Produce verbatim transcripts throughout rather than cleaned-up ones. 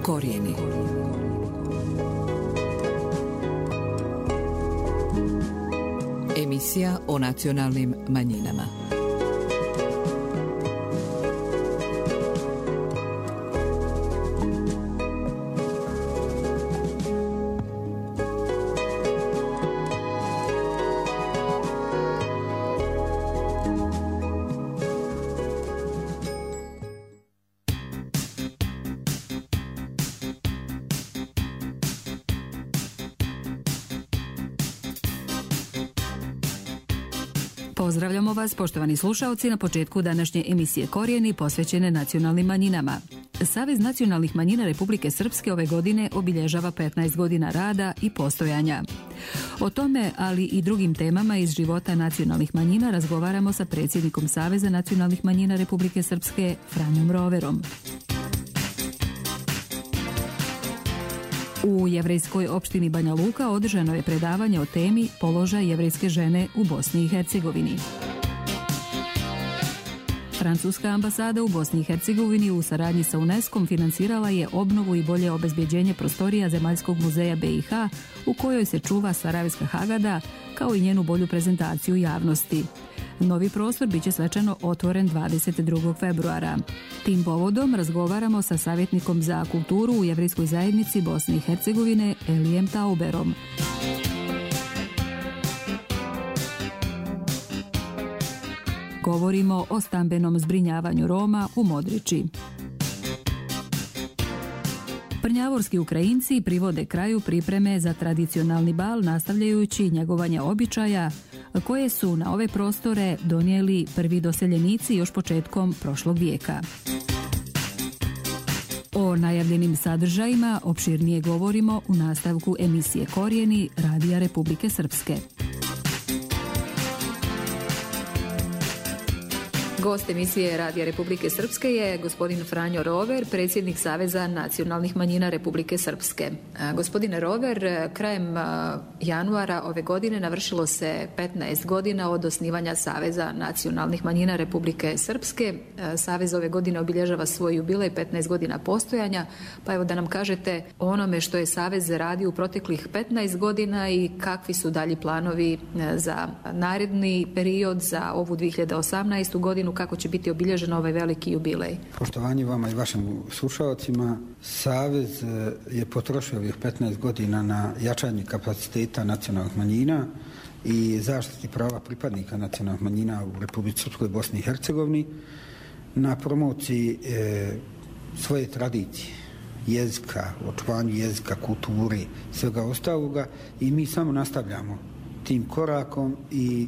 Korijeni. Emisija o nacionalnim manjinama. Pozdravljamo vas, poštovani slušaoci, na početku današnje emisije Korijeni posvećene nacionalnim manjinama. Savez nacionalnih manjina Republike Srpske ove godine obilježava petnaest godina rada i postojanja. O tome, ali i drugim temama iz života nacionalnih manjina razgovaramo sa predsjednikom Saveza nacionalnih manjina Republike Srpske, Franjom Roverom. U jevrejskoj opštini Banja Luka održano je predavanje o temi Položaj jevrejske žene u Bosni i Hercegovini. Francuska ambasada u Bosni i Hercegovini u saradnji sa UNESCO-om financirala je obnovu i bolje obezbjeđenje prostorija Zemaljskog muzeja be i ha u kojoj se čuva Sarajevska Hagada, kao i njenu bolju prezentaciju javnosti. Novi prostor biće svečano otvoren dvadeset drugog februara. Tim povodom razgovaramo sa savjetnikom za kulturu u jevrejskoj zajednici Bosne i Hercegovine Elijem Tauberom. Govorimo o stambenom zbrinjavanju Roma u Modriči. Prnjavorski Ukrajinci privode kraju pripreme za tradicionalni bal, nastavljajući njegovanje običaja koje su na ove prostore donijeli prvi doseljenici još početkom prošlog vijeka. O najavljenim sadržajima opširnije govorimo u nastavku emisije Korijeni Radija Republike Srpske. Gost emisije Radija Republike Srpske je gospodin Franjo Rover, predsjednik Saveza nacionalnih manjina Republike Srpske. Gospodine Rover, krajem januara ove godine navršilo se petnaest godina od osnivanja Saveza nacionalnih manjina Republike Srpske. Savez ove godine obilježava svoj jubilej, petnaest godina postojanja, pa evo da nam kažete o onome što je Savez radio u proteklih petnaest godina i kakvi su dalji planovi za naredni period, za ovu dvije hiljade osamnaestu godinu, kako će biti obilježen ovaj veliki jubilej. Poštovanje vama i vašim slušalcima, Savez je potrošio ovih petnaest godina na jačanje kapaciteta nacionalnih manjina i zaštiti prava pripadnika nacionalnih manjina u Republici Srpskoj, Bosni i Hercegovini, na promociji e, svoje tradicije, jezika, očuvanju jezika, kulturi, svega ostaloga, i mi samo nastavljamo tim korakom i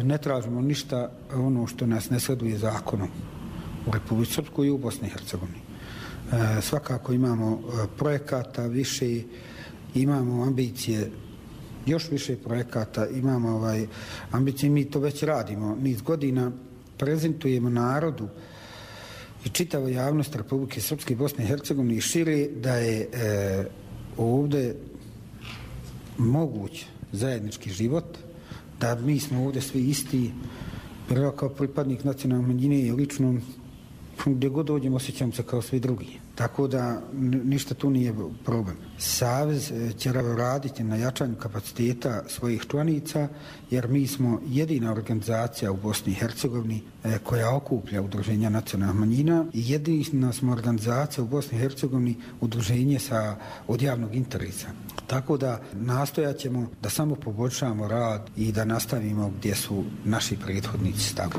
ne tražimo ništa ono što nas ne sleduje zakonom u Republici Srpskoj i u Bosni i Hercegovini. E, svakako imamo projekata više, imamo ambicije, još više projekata, imamo ovaj, ambicije, mi to već radimo niz godina, prezentujemo narodu i čitavoj javnosti Republike Srpske i Bosne i Hercegovine i šire da je e, ovdje moguć zajednički život, da mi smo ovdje svi isti, prvo kao pripadnik nacionalne manjine i lično gdje god dođem osjećam se kao svi drugi. Tako da ništa tu nije problem. Savez će raditi na jačanju kapaciteta svojih članica, jer mi smo jedina organizacija u Bosni i Hercegovini koja okuplja udruženja nacionalnih manjina i jedina smo organizacija u Bosni i Hercegovini udruženje sa, od javnog interesa. Tako da nastojat ćemo da samo poboljšamo rad i da nastavimo gdje su naši prethodnici stali.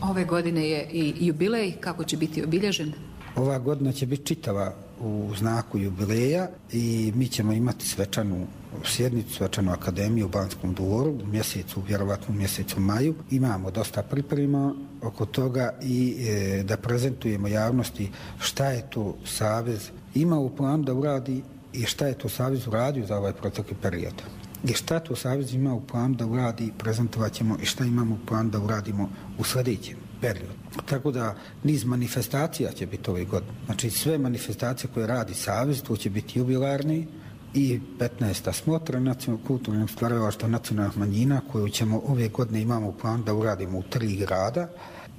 Ove godine je i jubilej, kako će biti obilježen? Ova godina će biti čitava u znaku jubileja i mi ćemo imati svečanu sjednicu, svečanu akademiju u Banskom dvoru u mjesecu, vjerovatno u mjesecu maju. Imamo dosta priprema oko toga i e, da prezentujemo javnosti šta je to Savez ima u planu da uradi i šta je to Savez uradio za ovaj protekli period. I šta to Savez ima u planu da uradi, prezentovat ćemo i šta imamo u planu da uradimo u sljedećem periodu. Tako da niz manifestacija će biti ove godine. Znači sve manifestacije koje radi Savez, to će biti jubilarni i petnaesta smotra nacionalnog kulturnog stvaralaštva nacionalnih manjina koju ćemo ove godine imamo u planu da uradimo u tri grada.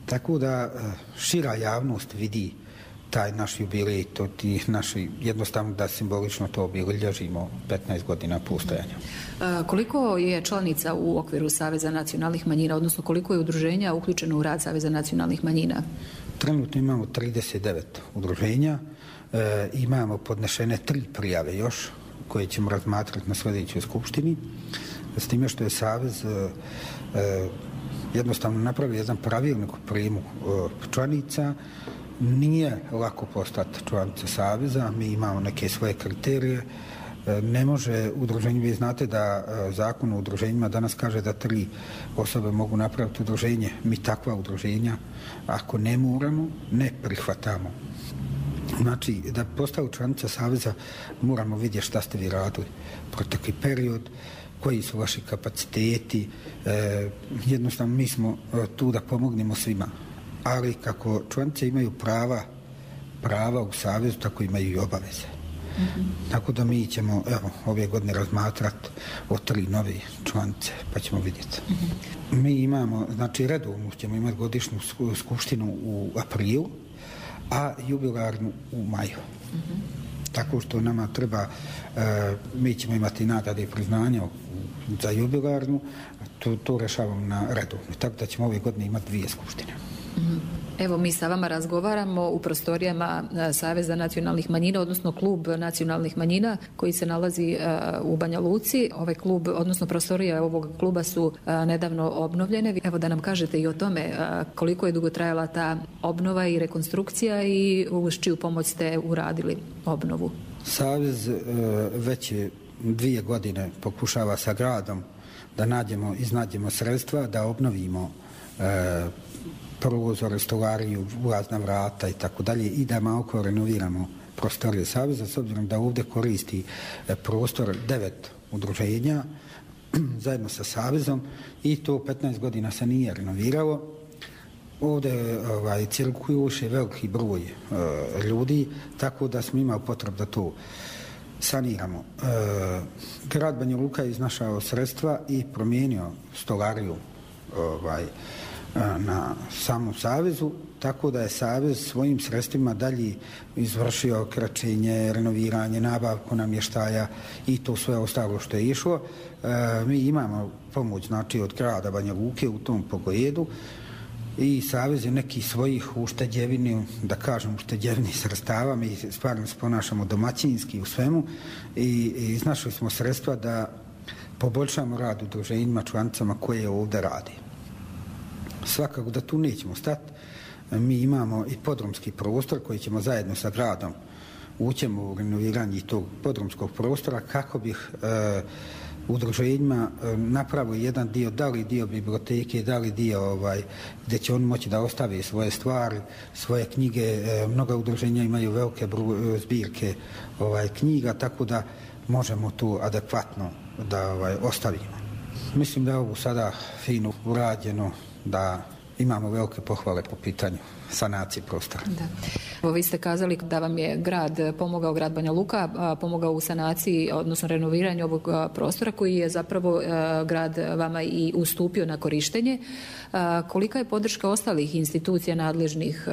Tako da šira javnost vidi taj naš jubilej, to ti naši, jednostavno da simbolično to obilježimo petnaest godina postojanja. Koliko je članica u okviru Saveza nacionalnih manjina, odnosno koliko je udruženja uključeno u rad Saveza nacionalnih manjina? Trenutno imamo trideset devet udruženja, e, imamo podnešene tri prijave još koje ćemo razmatrati na sljedećoj skupštini, s time što je Savez e, e, jednostavno napravio jedan pravilnik u prijemu e, članica. Nije lako postati članica Saveza, mi imamo neke svoje kriterije. Ne može udruženje, vi znate da zakon o udruženjima danas kaže da tri osobe mogu napraviti udruženje. Mi takva udruženja, ako ne moramo, ne prihvatamo. Znači, da postaju članica Saveza moramo vidjeti šta ste vi radili protekli period, koji su vaši kapaciteti. E, jednostavno mi smo tu da pomognemo svima. Ali kako članice imaju prava, prava u Savezu, tako imaju i obaveze. Mm-hmm. Tako da mi ćemo evo, ove godine razmatrati o tri nove članice, pa ćemo vidjeti. Mm-hmm. Mi imamo, znači redovno ćemo imati godišnju skupštinu u aprilu, a jubilarnu u maju. Mm-hmm. Tako što nama treba, e, mi ćemo imati nagrade i priznanja za jubilarnu, to, to rešavamo na redovno. Tako da ćemo ove godine imati dvije skupštine. Evo, mi sa vama razgovaramo u prostorijama Saveza nacionalnih manjina, odnosno klub nacionalnih manjina koji se nalazi u Banja Luci. Ovaj klub, odnosno prostorije ovog kluba su nedavno obnovljene. Evo da nam kažete i o tome koliko je dugo trajala ta obnova i rekonstrukcija i uz čiju pomoć ste uradili obnovu. Savez već je dvije godine pokušava sa gradom da nađemo, iznađemo sredstva, da obnovimo prozore, stolariju, ulazna vrata i tako dalje i da malo renoviramo prostorije Saveza, s obzirom da ovdje koristi prostor devet udruženja zajedno sa Savezom i to petnaest godina se nije renoviralo. Ovdje ovaj, cirkuju još je veliki broj e, ljudi, tako da smo imali potrebu da to saniramo. E, grad Banja Luka je iznašao sredstva i promijenio stolariju ovaj, na samom Savezu, tako da je Savez svojim sredstvima dalje izvršio kraćenje, renoviranje, nabavku namještaja i to sve ostalo što je išlo. E, mi imamo pomoć znači, od grada Banja Luke u tom pogledu i Savez je neki svojih ušteđevini, da kažem ušteđevini sredstava, mi stvarno se ponašamo domaćinski u svemu i, i iznašli smo sredstva da poboljšamo rad udruženjima, članicama koje ovdje radi. Svakako da tu nećemo stati. Mi imamo i podrumski prostor koji ćemo zajedno sa gradom ućemo u renoviranje tog podrumskog prostora kako bih e, udruženjima e, napravio jedan dio, da li dio biblioteke, da li dio ovaj, gdje će on moći da ostavi svoje stvari, svoje knjige. E, mnoga udruženja imaju velike bru, zbirke ovaj, knjiga, tako da možemo tu adekvatno da ovaj, ostavimo. Mislim da je ovo sada fino urađeno, da imamo velike pohvale po pitanju sanacije prostora. Da. Evo, vi ste kazali da vam je grad pomogao, grad Banja Luka, pomogao u sanaciji, odnosno renoviranju ovog prostora koji je zapravo grad vama i ustupio na korištenje. Kolika je podrška ostalih institucija nadležnih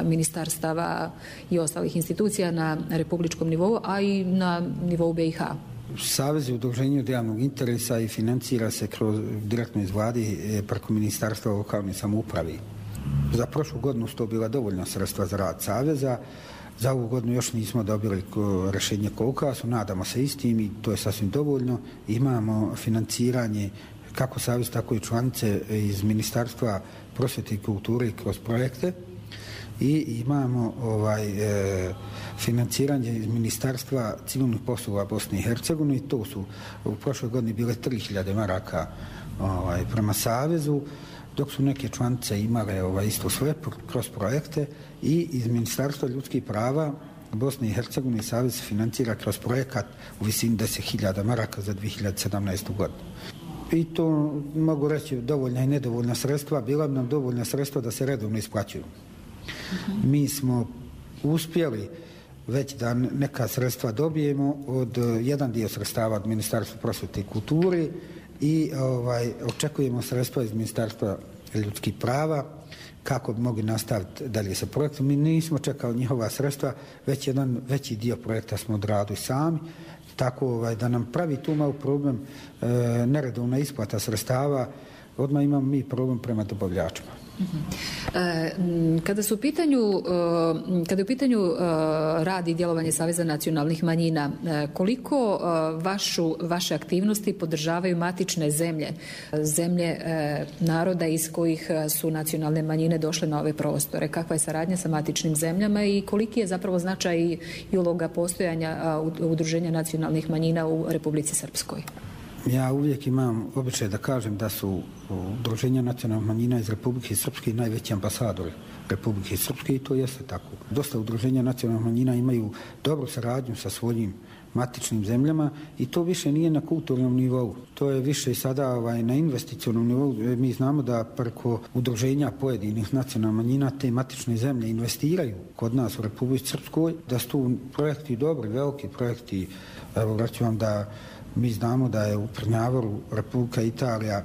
ministarstava i ostalih institucija na republičkom nivou, a i na nivou B i H? Savez je udruženje od javnog interesa i financira se kroz, direktno iz vladi preko Ministarstva lokalne samouprave. Za prošlu godinu su to bila dovoljna sredstva za rad Saveza. Za ovu godinu još nismo dobili rješenje kolika su, nadamo se istim i to je sasvim dovoljno. Imamo financiranje kako Savez, tako i članice iz Ministarstva prosvjete i kulture kroz projekte. I imamo ovaj, e, financiranje iz Ministarstva civilnih poslova Bosne i Hercegovine i to su u prošloj godini bile tri hiljade maraka ovaj, prema Savezu, dok su neke članice imale ovaj, isto sve kroz projekte i iz Ministarstva ljudskih prava Bosne i Hercegovine Savez financira kroz projekat u visini deset hiljada maraka za dvije hiljade sedamnaestu godinu. I to mogu reći dovoljna i nedovoljna sredstva, bila bi nam dovoljna sredstva da se redovno isplaćuju. Mi smo uspjeli već da neka sredstva dobijemo od jedan dio sredstava od Ministarstva prosvjete i kulture i ovaj, očekujemo sredstva iz Ministarstva ljudskih prava kako bi mogli nastaviti dalje sa projektom. Mi nismo čekali njihova sredstva, već jedan veći dio projekta smo odradili sami, tako ovaj, da nam pravi tu malo problem e, neredovna isplata sredstava, odmah imamo mi problem prema dobavljačima. Kada su u pitanju, kada je u pitanju rad i djelovanje Saveza nacionalnih manjina, koliko vašu, vaše aktivnosti podržavaju matične zemlje, zemlje naroda iz kojih su nacionalne manjine došle na ove prostore? Kakva je saradnja sa matičnim zemljama i koliki je zapravo značaj i uloga postojanja Udruženja nacionalnih manjina u Republici Srpskoj? Ja uvijek imam običaj da kažem da su Udruženja nacionalnih manjina iz Republike Srpske najveći ambasadori Republike Srpske i to jeste tako. Dosta udruženja nacionalnih manjina imaju dobru saradnju sa svojim matičnim zemljama i to više nije na kulturnom nivou. To je više sada ovaj, na investicionom nivou. Mi znamo da preko udruženja pojedinih nacionalnih manjina te matične zemlje investiraju kod nas u Republici Srpskoj, da su tu projekti dobri, veliki projekti. Evo, reću vam da mi znamo da je u Trnjavoru Republika Italija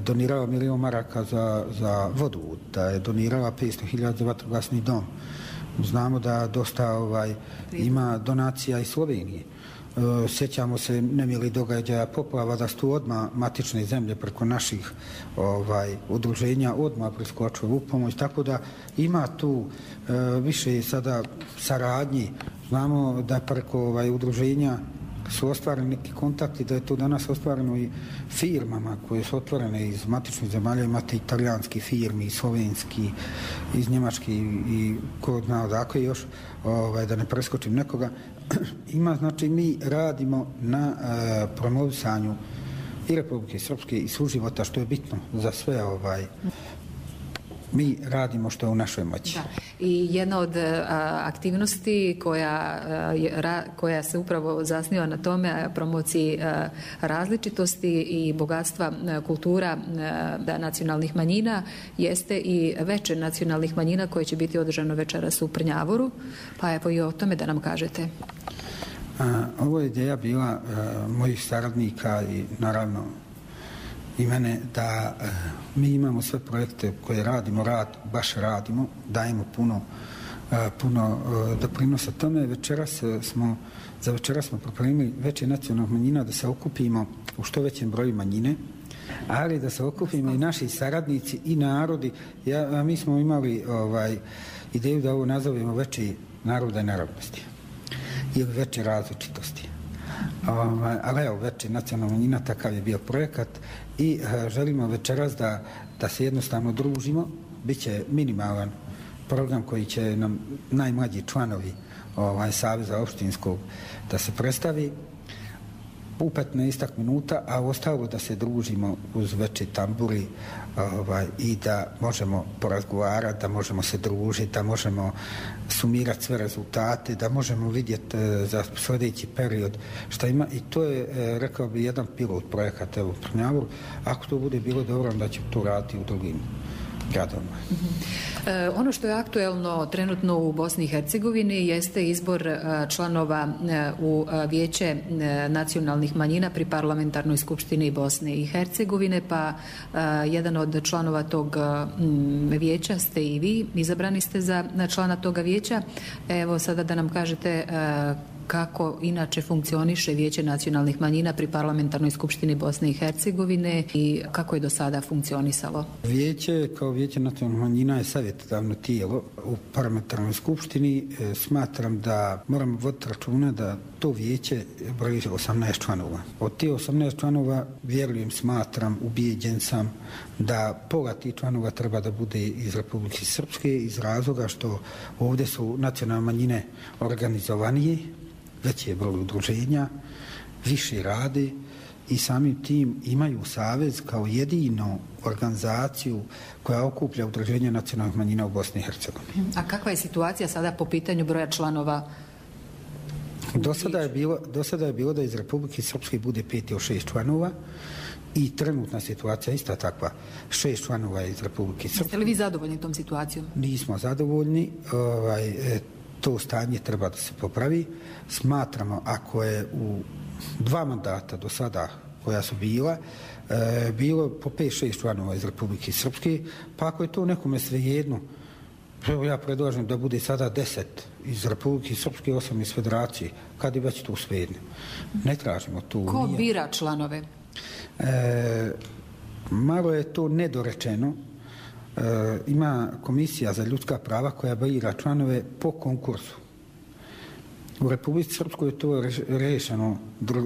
donirala milijon maraka za, za vodu, da je donirala petsto hiljada za vatrogasni dom. Znamo da dosta ovaj, ima donacija iz Slovenije. E, sjećamo se nemili događaja poplava, da su tu odmah matične zemlje preko naših ovaj, udruženja odmah priskočile u pomoć, tako da ima tu e, više sada saradnji. Znamo da preko ovaj, udruženja su ostvareni neki kontakti, da je to danas ostvareno i firmama koje su otvorene iz matičnih zemalja, imate italijanski firmi, slovenski, iz njemački i ko zna odakle još, ovaj, da ne preskočim nekoga. Ima, znači, mi radimo na e, promovisanju i Republike Srpske i suživota, što je bitno za sve ovaj. Mi radimo što je u našoj moći. Da. I jedna od a, aktivnosti koja, a, ra, koja se upravo zasniva na tome, promociji a, različitosti i bogatstva a, kultura a, da, nacionalnih manjina, jeste i veče nacionalnih manjina koje će biti održano večeras u Prnjavoru. Pa evo i o tome da nam kažete. A, ovo je ideja bila a, mojih saradnika i naravno i mene da e, mi imamo sve projekte koje radimo, rad, baš radimo, dajemo puno, e, puno e, doprinosa tome. Večeras smo, za večeras smo pripremili veće nacionalnih manjina da se okupimo u što većem broju manjine, ali da se okupimo i naši saradnici i narodi. Ja, mi smo imali ovaj, ideju da ovo nazovemo veće naroda i narodnosti ili veće različitosti. Ovaj, ali evo, veće nacionalna manjina, takav je bio projekat i e, želimo večeras da, da se jednostavno družimo. Biće minimalan program koji će nam najmlađi članovi ovaj, Saveza opštinskog da se predstavi u petnaestak minuta, a ostalo da se družimo uz veće tamburi ovaj, i da možemo porazgovarati, da možemo se družiti, da možemo sumirati sve rezultate, da možemo vidjeti e, za sljedeći period šta ima. I to je, e, rekao bi, jedan pilot projekat evo u Trnjavoru. Ako to bude bilo dobro, onda će to raditi u drugim gradovima. Mm-hmm. E, ono što je aktuelno trenutno u Bosni i Hercegovini jeste izbor e, članova e, u e, vijeće e, nacionalnih manjina pri parlamentarnoj skupštini Bosne i Hercegovine, pa e, jedan od članova tog m, vijeća ste i vi, izabrani ste za člana toga vijeća. Evo sada da nam kažete e, kako inače funkcioniše Vijeće nacionalnih manjina pri parlamentarnoj skupštini Bosne i Hercegovine i kako je do sada funkcionisalo? Vijeće kao Vijeće nacionalnih manjina je savjetodavno tijelo u parlamentarnoj skupštini. E, smatram da moramo voditi računa da to vijeće broji osamnaest članova. Od tih osamnaest članova, vjerujem, smatram, ubijeđen sam da pola tih članova treba da bude iz Republike Srpske, iz razloga što ovdje su nacionalne manjine organizovanije, veći je broj udruženja, više rade i samim tim imaju savez kao jedinu organizaciju koja okuplja udruženja nacionalnih manjina u Bosni i Hercegovini. A kakva je situacija sada po pitanju broja članova? Do sada je bilo, do sada je bilo da iz Republike Srpske bude pet ili šest članova i trenutna situacija ista takva. Šest članova je iz Republike Srpske. Jeste li vi zadovoljni tom situacijom? Nismo zadovoljni. Ovaj, to stanje treba da se popravi. Smatramo, ako je u dva mandata do sada koja su bila, e, bilo po pet šest članova iz Republike Srpske, pa ako je to nekome svejedno, evo ja predlažem da bude sada deset iz Republike Srpske, osam iz Federacije, kad je već to svejedno. Ne tražimo to. Ko nije. Bira članove? E, malo je to nedorečeno. E, ima Komisija za ljudska prava koja bira članove po konkursu. U Republici Srpskoj je to rešeno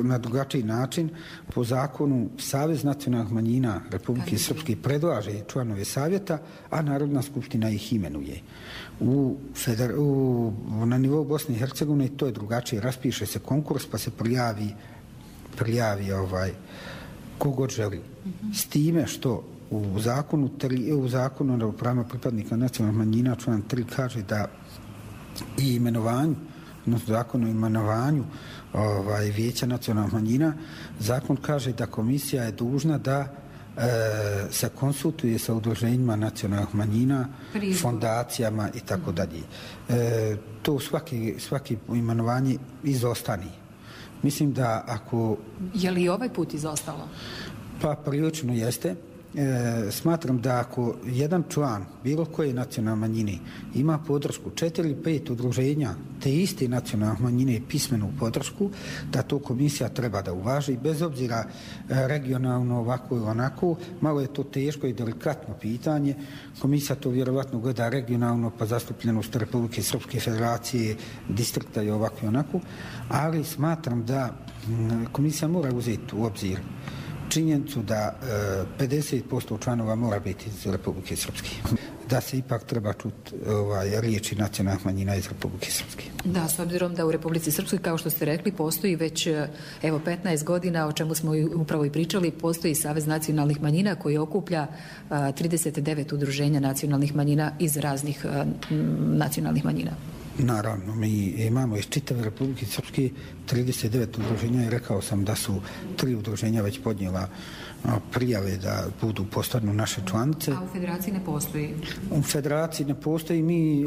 na drugačiji način. Po zakonu Savez nacionalnih manjina Republike Srpske predlaže članove savjeta, a Narodna skupština ih imenuje. U feder, u, na nivou Bosne i Hercegovine to je drugačije. Raspiše se konkurs pa se prijavi, prijavi ovaj, kogod želi. Mm-hmm. S time što u zakonu, tri, u zakonu o pravima pripadnika nacionalnih manjina član tri kaže da i imenovanju, odnosno zakon o imenovanju ovaj, vijeća nacionalnih manjina, zakon kaže da komisija je dužna da e, se konsultuje sa udruženjima nacionalnih manjina, Prijedlog. fondacijama i tako dalje. E, to svaki, svaki imenovanje izostani. Mislim da ako... Je li ovaj put izostalo? Pa prilično jeste. E, smatram da ako jedan član bilo koje nacionalne manjine ima podršku četiri ili pet udruženja te iste nacionalne manjine pismenu podršku, da to komisija treba da uvaži bez obzira regionalno ovako ili onako. Malo je to teško i delikatno pitanje. Komisija to vjerovatno gleda regionalno pa zastupljenost Republike Srpske, Federacije, distrikta i ovako i onako, ali smatram da komisija mora uzeti u obzir činjenicu da e, pedeset posto članova mora biti iz Republike Srpske. Da se ipak treba čuti ovaj, riječi nacionalnih manjina iz Republike Srpske. Da, s obzirom da u Republici Srpskoj, kao što ste rekli, postoji već evo petnaest godina, o čemu smo upravo i pričali, postoji Savez nacionalnih manjina koji okuplja a, trideset devet udruženja nacionalnih manjina iz raznih a, nacionalnih manjina. Naravno, mi imamo iz čitave Republike Srpske trideset devet udruženja i rekao sam da su tri udruženja već podnijela prijave da budu postanu naše članice. A u Federaciji ne postoji? U Federaciji ne postoji. Mi,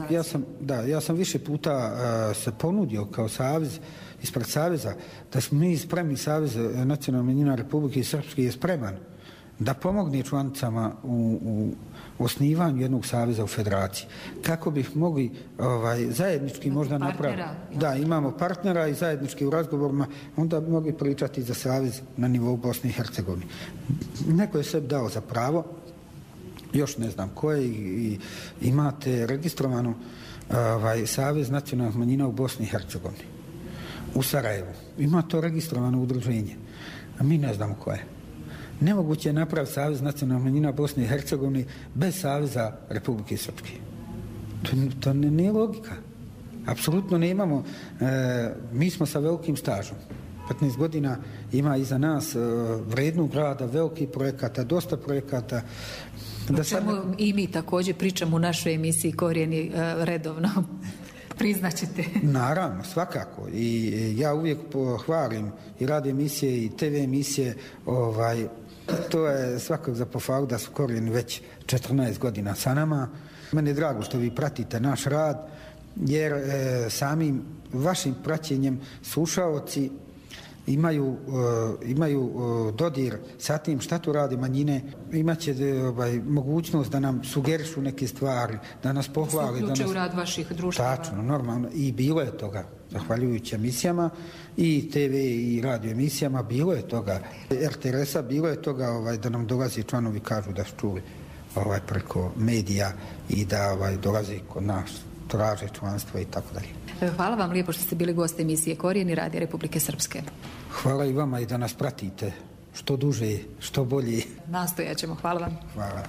ja, sam, da, ja sam više puta uh, se ponudio kao savez, ispred saveza, da smo mi spremni, Savez nacionalnih manjina Republike Srpske je spreman da pomogne članicama u, u osnivanju jednog saveza u Federaciji. Kako bih mogli ovaj, zajednički možda napraviti. Da, imamo partnera i zajednički u razgovorima, onda bi mogli pričati za savez na nivou Bosne i Hercegovine. Neko je sebi dao za pravo, još ne znam koje, i, i imate registrovano ovaj, Savez nacionalnih manjina u Bosni i Hercegovini. U Sarajevu. Ima to registrovano udruženje, a mi ne znamo koje. Nemoguće je napraviti Savez nacionalnih manjina Bosne i Hercegovine bez Saveza Republike Srpske. To, to ne, nije logika. Apsolutno ne imamo. E, mi smo sa velikim stažom. petnaest godina ima iza nas e, vrednog rada, velikih projekata, dosta projekata. Da sad... I mi također pričamo u našoj emisiji Korijeni e, redovno. Priznaćete. Naravno, svakako. I ja uvijek pohvalim i radio emisije i te ve emisije. Ovaj, to je svakog za pohvalu da su Korijeni već četrnaest godina sa nama. Meni je drago što vi pratite naš rad, jer e, samim vašim praćenjem slušaoci imaju, uh, imaju uh, dodir sa tim šta tu radi manjine, imaće ovaj, mogućnost da nam sugerišu neke stvari, da nas pohvali. Da nas... u rad vaših društava. Tačno, normalno. I bilo je toga, zahvaljujući emisijama, i te ve i radio emisijama, bilo je toga. er te er es-a bilo je toga ovaj, da nam dolazi članovi, kažu da su čuli ovaj, preko medija i da ovaj, dolazi kod nas, traže članstvo i tako dalje. Hvala vam lijepo što ste bili gost emisije Korijeni Radija Republike Srpske. Hvala i vama i da nas pratite što duže, što bolje. Nastojat ćemo. Hvala vam. Hvala.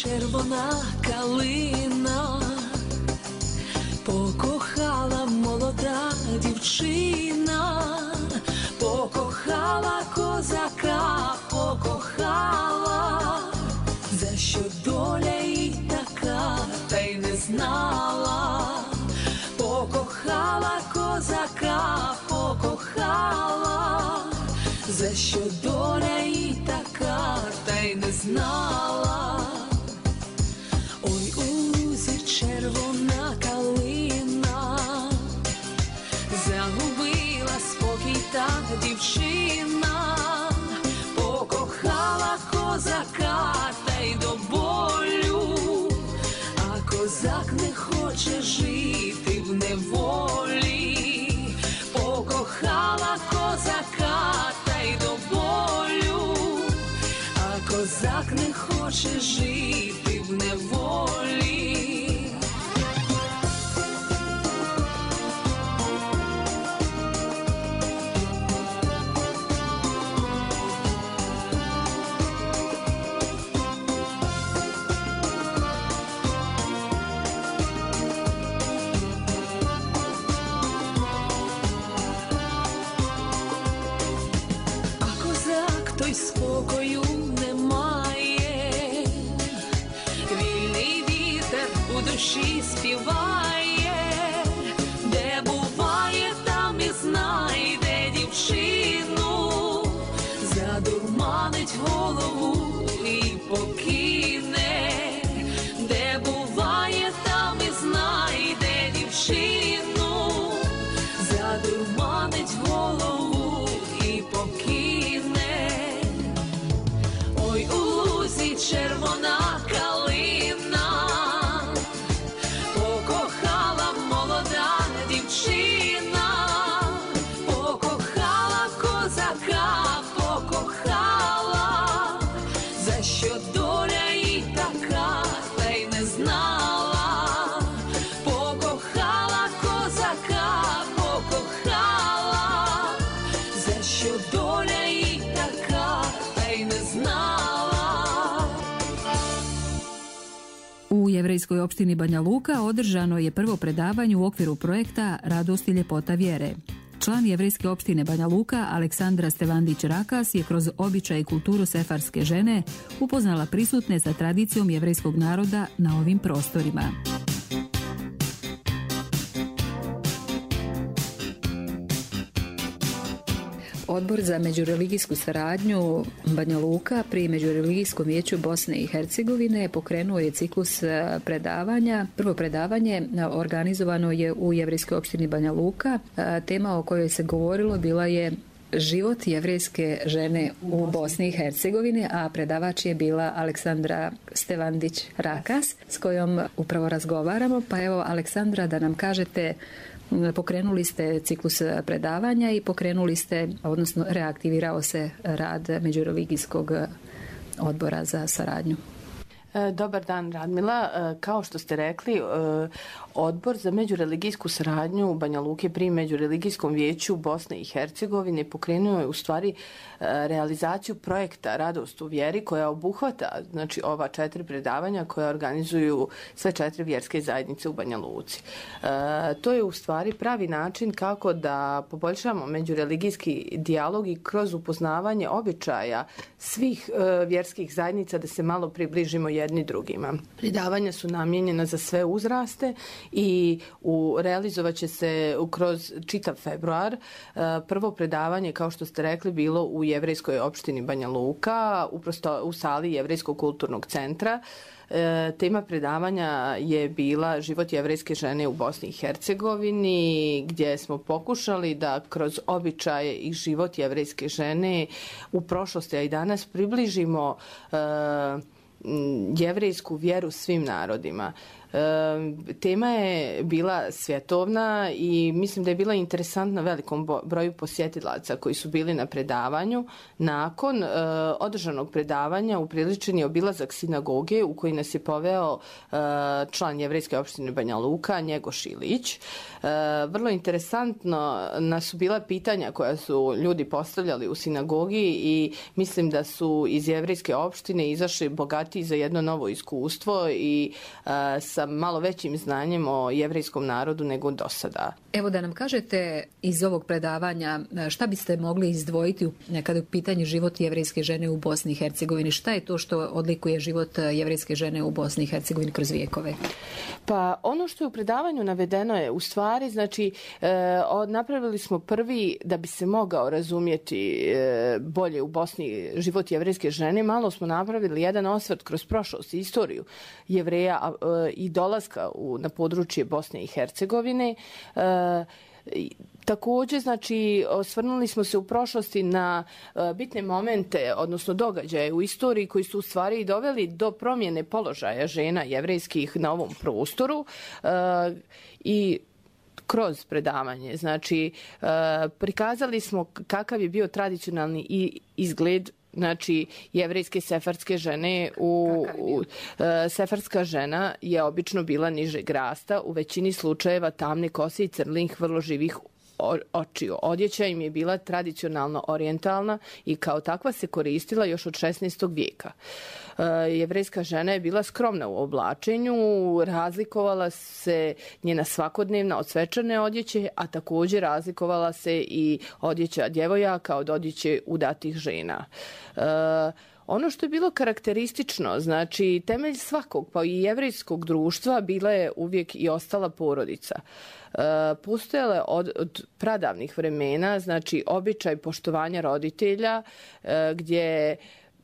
Červona kalina pokohala молода дівчина, покохала козака, покохала, за що доля їй така. козака покохала, за що доля і така, та й не знала. Ой, у лузі червона калина, загубила спокій та дівчина, покохала козака та й до болю, а козак не хоче жити в неволі, покохала козака та й до болю, а козак не хоче жити в неволі. Спокою немає, вільний вітер у душі співає, де буває, там і знайде дівчину, задурманить голову і покине, де буває, там і знайде дівчину, задурманить голову і покине. Ой, у лузі червона калина, покохала молода дівчина, покохала козака, покохала, за що доля і така, та й не знала, покохала козака, покохала, за що доля і така, та й не znala. U jevrejskoj opštini Banja Luka održano je prvo predavanje u okviru projekta Radost i ljepota vjere. Član jevrejske opštine Banja Luka Aleksandra Stevandić-Rakas je kroz običaj i kulturu sefarske žene upoznala prisutne sa tradicijom jevrejskog naroda na ovim prostorima. Odbor za međureligijsku saradnju Banja Luka pri Međureligijskom vijeću Bosne i Hercegovine pokrenuo je ciklus predavanja. Prvo predavanje organizovano je u jevrejskoj opštini Banja Luka. Tema o kojoj se govorilo bila je život jevrejske žene u Bosni i Hercegovini, a predavač je bila Aleksandra Stevandić-Rakas s kojom upravo razgovaramo. Pa evo, Aleksandra, da nam kažete, pokrenuli ste ciklus predavanja i pokrenuli ste, odnosno reaktivirao se rad Međureligijskog odbora za saradnju. Dobar dan, Radmila. Kao što ste rekli, Odbor za međureligijsku saradnju u Banja Luke pri Međureligijskom vijeću Bosne i Hercegovine pokrenuo je u stvari realizaciju projekta Radost u vjeri koja obuhvata, znači, ova četiri predavanja koja organizuju sve četiri vjerske zajednice u Banja Luci. To je u stvari pravi način kako da poboljšamo međureligijski dijalog i kroz upoznavanje običaja svih vjerskih zajednica da se malo približimo jedni drugima. Predavanja su namijenjena za sve uzraste i u, realizovat će se kroz čitav februar. Prvo predavanje, kao što ste rekli, bilo u jevrejskoj opštini Banja Luka, uprosto u sali Jevrejskog kulturnog centra. E, tema predavanja je bila život jevrejske žene u Bosni i Hercegovini, gdje smo pokušali da kroz običaje i život jevrejske žene u prošlosti, a i danas približimo e, jevrejsku vjeru svim narodima. E, tema je bila svjetovna i mislim da je bila interesantna velikom broju posjetilaca koji su bili na predavanju. Nakon e, održanog predavanja upriličen je obilazak sinagoge u koji nas je poveo e, član jevrejske opštine Banja Luka, Njegoš Ilić. E, vrlo interesantno nas su bila pitanja koja su ljudi postavljali u sinagogi i mislim da su iz jevrejske opštine izašli bogatiji za jedno novo iskustvo i e, sa sa malo većim znanjem o jevrejskom narodu nego do sada. Evo da nam kažete iz ovog predavanja šta biste mogli izdvojiti kada je u pitanju život jevrejske žene u Bosni i Hercegovini. Šta je to što odlikuje život jevrejske žene u Bosni i Hercegovini kroz vijekove? Pa ono što je u predavanju navedeno je u stvari, znači e, napravili smo prvi, da bi se mogao razumjeti e, bolje u Bosni život jevrejske žene, malo smo napravili jedan osvrt kroz prošlost i istoriju Jevreja a, e, i dolaska u, na područje Bosne i Hercegovine. E, Također, znači, osvrnuli smo se u prošlosti na bitne momente, odnosno događaje u istoriji koji su u stvari doveli do promjene položaja žena jevrejskih na ovom prostoru i kroz predavanje. Znači, prikazali smo kakav je bio tradicionalni izgled, znači, jevrejske sefardske žene. U, u, sefardska žena je obično bila nižeg rasta, u većini slučajeva tamne kose i crnih vrlo živih očiju. Odjeća im je bila tradicionalno orijentalna i kao takva se koristila još od šesnaestog vijeka. E, jevrejska žena je bila skromna u oblačenju, razlikovala se njena svakodnevna od svečane odjeće, a također razlikovala se i odjeća djevojaka od odjeće udatih žena. E, Ono što je bilo karakteristično, znači temelj svakog pa i jevrejskog društva bila je uvijek i ostala porodica. E, postojala je od, od pradavnih vremena, znači običaj poštovanja roditelja, e, gdje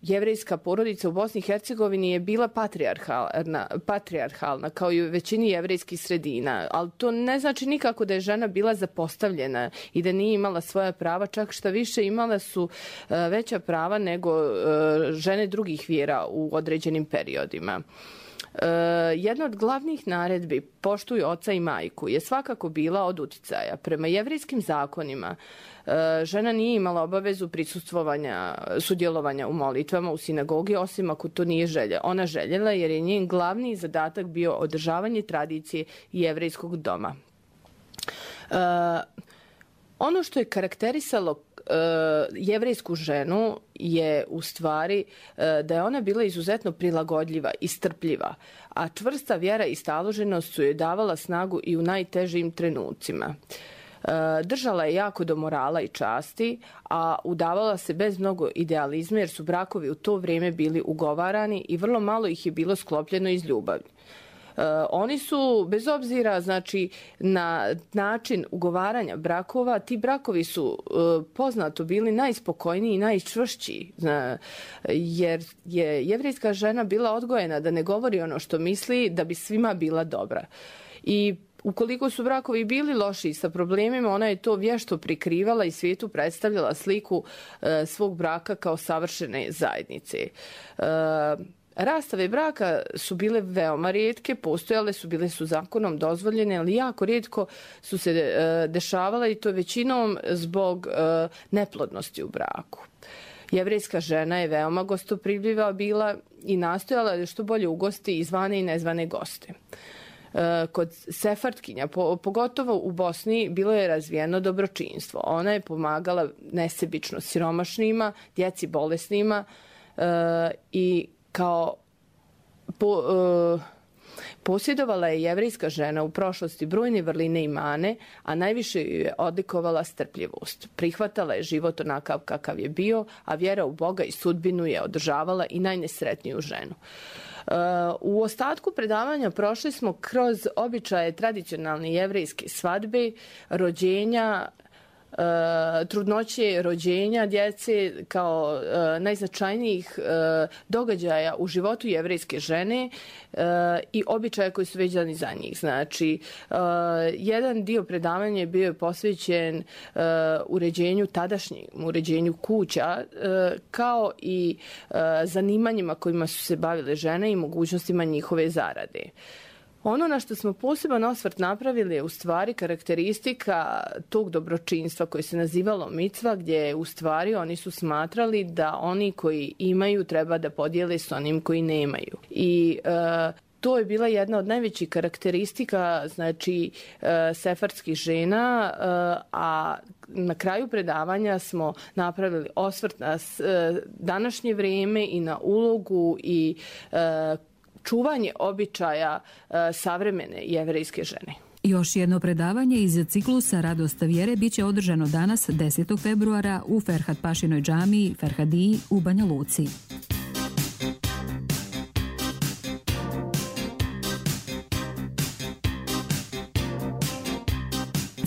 jevrejska porodica u Bosni i Hercegovini je bila patrijarhalna, patrijarhalna kao i u većini jevrejskih sredina, ali to ne znači nikako da je žena bila zapostavljena i da nije imala svoja prava, čak šta više imala su veća prava nego žene drugih vjera u određenim periodima. Uh, jedna od glavnih naredbi poštuj oca i majku je svakako bila od uticaja. Prema jevrejskim zakonima uh, žena nije imala obavezu prisustvovanja, sudjelovanja u molitvama u sinagogi, osim ako to nije želja. Ona željela jer je njen glavni zadatak bio održavanje tradicije jevrejskog doma. Uh, ono što je karakterisalo jevrejsku ženu je u stvari da je ona bila izuzetno prilagodljiva i strpljiva, a čvrsta vjera i staloženost su joj davala snagu i u najtežim trenucima. Držala je jako do morala i časti, a udavala se bez mnogo idealizma jer su brakovi u to vrijeme bili ugovarani i vrlo malo ih je bilo sklopljeno iz ljubavi. Uh, oni su, bez obzira znači, na način ugovaranja brakova, ti brakovi su uh, poznato bili najspokojniji i najčvršći, zna, jer je jevrejska žena bila odgojena da ne govori ono što misli, da bi svima bila dobra. I ukoliko su brakovi bili loši sa problemima, ona je to vješto prikrivala i svijetu predstavljala sliku uh, svog braka kao savršene zajednice. Uh, Rastave braka su bile veoma rijetke, postojale su, bile su zakonom dozvoljene, ali jako rijetko su se e, dešavale i to većinom zbog e, neplodnosti u braku. Jevrejska žena je veoma gostoprimljiva bila i nastojala da što bolje ugosti i zvane i nezvane goste. E, kod sefardkinja, po, pogotovo u Bosni, bilo je razvijeno dobročinstvo. Ona je pomagala nesebično siromašnima, djeci bolesnima e, i kao po, uh, posjedovala je jevrejska žena u prošlosti brojne vrline i mane, a najviše ju je odlikovala strpljivost. Prihvatala je život onakav kakav je bio, a vjera u Boga i sudbinu je održavala i najnesretniju ženu. Uh, u ostatku predavanja prošli smo kroz običaje tradicionalne jevrejske svadbe, rođenja, Uh, trudnoće, rođenja djece kao uh, najznačajnijih uh, događaja u životu jevrejske žene uh, i običaja koji su vezani za njih. Znači, uh, jedan dio predavanja je bio posvećen uh, uređenju tadašnjeg, uređenju kuća, uh, kao i uh, zanimanjima kojima su se bavile žene i mogućnostima njihove zarade. Ono na što smo poseban osvrt napravili je u stvari karakteristika tog dobročinstva koje se nazivalo micva, gdje u stvari oni su smatrali da oni koji imaju treba da podijele s onim koji nemaju. I e, to je bila jedna od najvećih karakteristika, znači, e, sefardskih žena, e, a na kraju predavanja smo napravili osvrt na e, današnje vrijeme i na ulogu i e, čuvanje običaja savremene jevrejske žene. Još jedno predavanje iz ciklusa Radost vjere bit će održano danas desetog februara u Ferhat Pašinoj džamiji Ferhadiji u Banja Luci.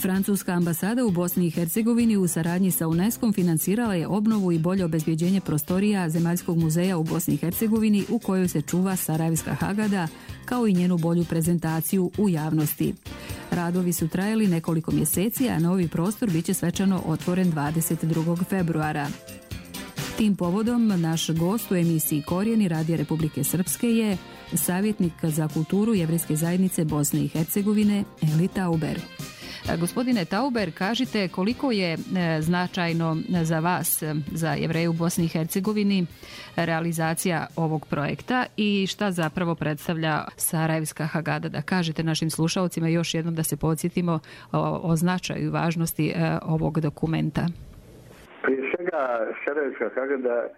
Francuska ambasada u Bosni i Hercegovini u saradnji sa UNESCO-om financirala je obnovu i bolje obezbjeđenje prostorija Zemaljskog muzeja u Bosni i Hercegovini u kojoj se čuva Sarajevska Hagada, kao i njenu bolju prezentaciju u javnosti. Radovi su trajali nekoliko mjeseci, a novi prostor bit će svečano otvoren dvadeset drugog februara. Tim povodom naš gost u emisiji Korijeni Radija Republike Srpske je savjetnik za kulturu Jevrejske zajednice Bosne i Hercegovine Eli Tauber. Gospodine Tauber, kažite koliko je značajno za vas, za Jevreje u Bosni i Hercegovini, realizacija ovog projekta i šta zapravo predstavlja Sarajevska Hagada? Da kažete našim slušalcima još jednom da se podsjetimo o, o značaju i važnosti ovog dokumenta. Prije svega, Sarajevska Hagada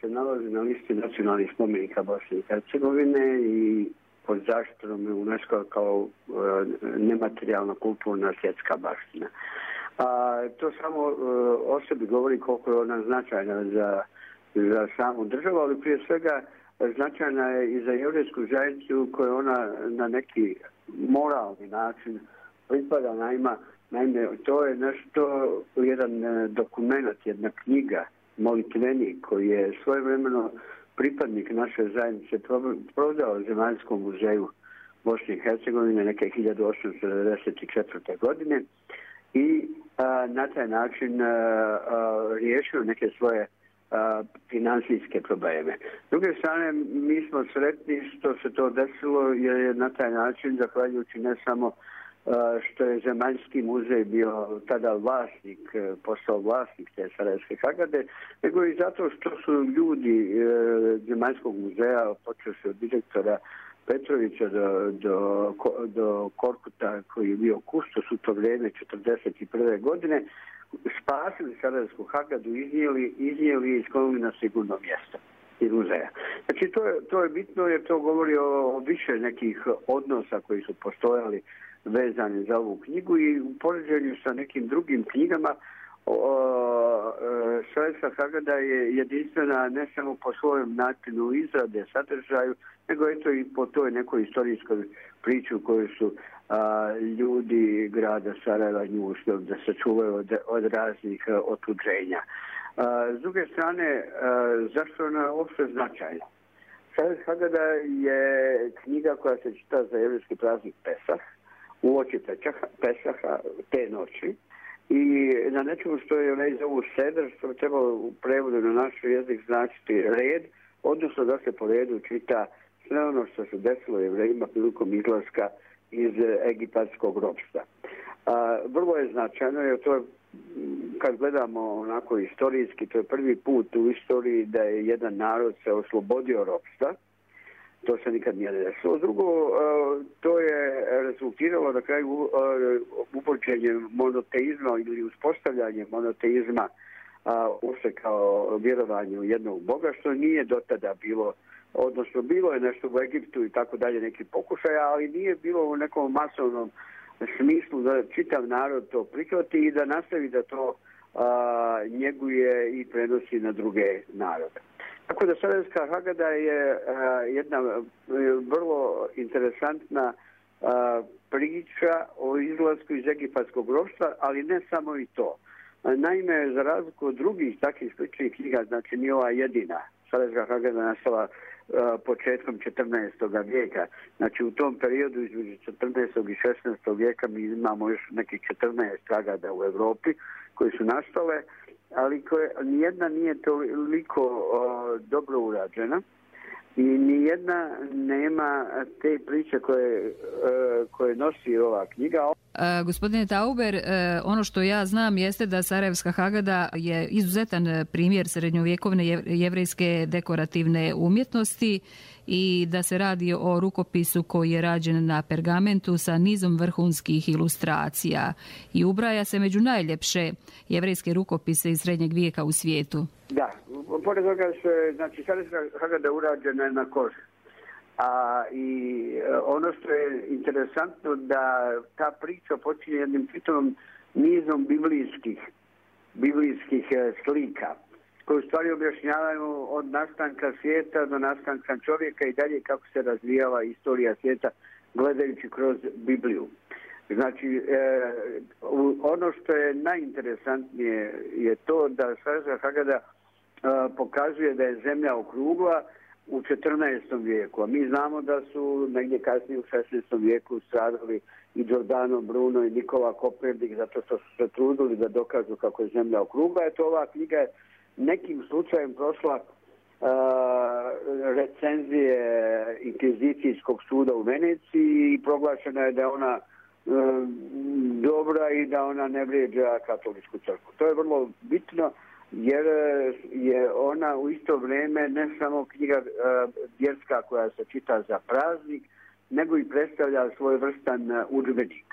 se nalazi na listi nacionalnih spomenika Bosne i Hercegovine i pod zaštitom UNESCO kao e, nematerijalna kulturna svjetska baština. A, to samo e, o sebi govori koliko je ona značajna za, za samu državu, ali prije svega značajna je i za jevrejsku zajednicu koju ona na neki moralni način pripada. Naima, naime, to je nešto, jedan dokument, jedna knjiga, molitvenik koji je svojevremeno pripadnik naše zajednice prodao Zemaljskom muzeju Bosne i Hercegovine neke hiljadu osamsto devedeset četvrte. godine i a, na taj način a, a, riješio neke svoje a, financijske probleme. S druge strane, mi smo sretni što se to desilo jer je na taj način, zahvaljujući ne samo što je Zemaljski muzej bio tada vlasnik, postao vlasnik te Sarajevske Hagade, nego i zato što su ljudi Zemaljskog muzeja, počevši od direktora Petrovića do, do, do Korkuta koji je bio kustos u to vrijeme četrdeset prve. godine, spasili Sarajevsku Hagadu, iznijeli, iznijeli i sklonili na sigurno mjesto iz muzeja. Znači to je, to je bitno jer to govori o, o više nekih odnosa koji su postojali vezani za ovu knjigu i u poređenju sa nekim drugim knjigama Sarajevska Hagada je jedinstvena ne samo po svojem načinu izrade, sadržaju, nego eto i po toj nekoj istorijskoj priči u kojoj su a, ljudi grada Sarajeva nju uspjeli da se čuvaju od, od raznih a, otuđenja. A, s druge strane, a, zašto ona uopšte značajna? Sarajevska Hagada je knjiga koja se čita za jevrejski praznik Pesah, uoči Pesaha, te noći, i na nečemu što je već zovu seder, što bi trebalo u prevodu na naš jezik značiti red, odnosno da se po redu čita sve ono što se desilo Jevrejima prilikom izlaska iz egipatskog ropstva. A, vrlo je značajno, jer to je, kad gledamo onako istorijski, to je prvi put u istoriji da je jedan narod se oslobodio ropstva. To se nikad nije desilo. Drugo, to je rezultiralo na kraju uvođenjem monoteizma ili uspostavljanjem monoteizma uopšte kao vjerovanje u jednog Boga, što nije do tada bilo, odnosno bilo je nešto u Egiptu i tako dalje, neki pokušaja, ali nije bilo u nekom masovnom smislu da čitav narod to prihvati i da nastavi da to a, njeguje i prenosi na druge narode. Tako da Sarajevska Hagada je a, jedna a, vrlo interesantna a, priča o izlasku iz egipatskog ropstva, ali ne samo i to. A, naime, za razliku od drugih takvih sličnih knjiga, znači nije ova jedina. Sarajevska Hagada nastala a, početkom četrnaestog vijeka. Znači u tom periodu između četrnaestog i šesnaestog vijeka mi imamo još nekih četrnaest Hagada u Europi koje su nastale, ali koje, nijedna nije toliko o, dobro urađena i nijedna nema te priče koje, o, koje nosi ova knjiga. E, gospodine Tauber, e, ono što ja znam jeste da Sarajevska Hagada je izuzetan primjer srednjovjekovne jevrejske dekorativne umjetnosti i da se radi o rukopisu koji je rađen na pergamentu sa nizom vrhunskih ilustracija i ubraja se među najljepše jevrejske rukopise iz srednjeg vijeka u svijetu. Da, pored toga se, znači, Sarajevska Hagada urađena je na koži. A, i ono što je interesantno da ta priča počinje jednim čitavom nizom biblijskih, biblijskih slika koje u stvari objašnjavaju od nastanka svijeta do nastanka čovjeka i dalje kako se razvijala istorija svijeta gledajući kroz Bibliju. Znači, e, ono što je najinteresantnije je to da Sarajevska Hagada e, pokazuje da je zemlja okrugla u četrnaestom vijeku, a mi znamo da su negdje kasnije u šesnaestom vijeku stradali i Giordano Bruno i Nikola Kopernik zato što su se trudili da dokažu kako je zemlja okrugla. Eto, ova knjiga je nekim slučajem prošla uh, recenzije Inkvizicijskog suda u Veneciji i proglašena je da je ona uh, dobra i da ona ne vrijeđa katoličku crkvu. To je vrlo bitno jer je ona u isto vrijeme ne samo knjiga uh, vjerska koja se čita za praznik, nego i predstavlja svojevrstan uh, udžbenik.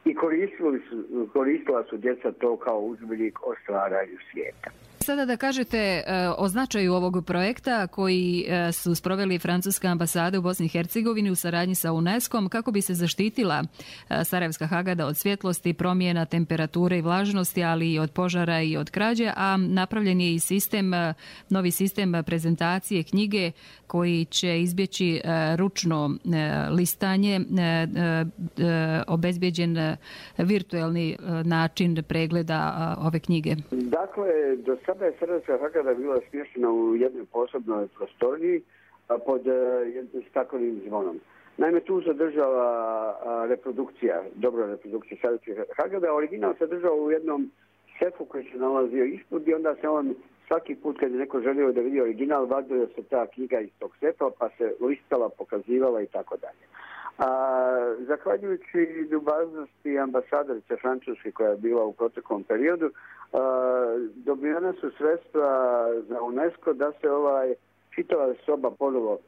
I koristili su, koristila su djeca to kao udžbenik o stvaranju svijeta. Sada da kažete o značaju ovog projekta koji su sproveli francuska ambasada u Bosni i Hercegovini u saradnji sa UNESCO-om kako bi se zaštitila Sarajevska Hagada od svjetlosti, promjena temperature i vlažnosti, ali i od požara i od krađe, a napravljen je i sistem, novi sistem prezentacije knjige koji će izbjeći ručno listanje, obezbjeđen virtualni način pregleda ove knjige. Dakle, do sada je Sarajevska Hagada bila smještena u jednoj posebnoj prostoriji pod jednim staklenim zvonom. Naime, tu se držala reprodukcija, dobra reprodukcija Sarajevske Hagada. Original se držao u jednom sefu koji se nalazio ispod i onda se on svaki put kad je neko želio da vidi original, vadio se ta knjiga iz tog sefa pa se listala, pokazivala i tako dalje. A, zahvaljujući ljubaznosti ambasadorice Francuske koja je bila u proteklom periodu, a, dobivena su sredstva za UNESCO da se ovaj čitava soba ponovo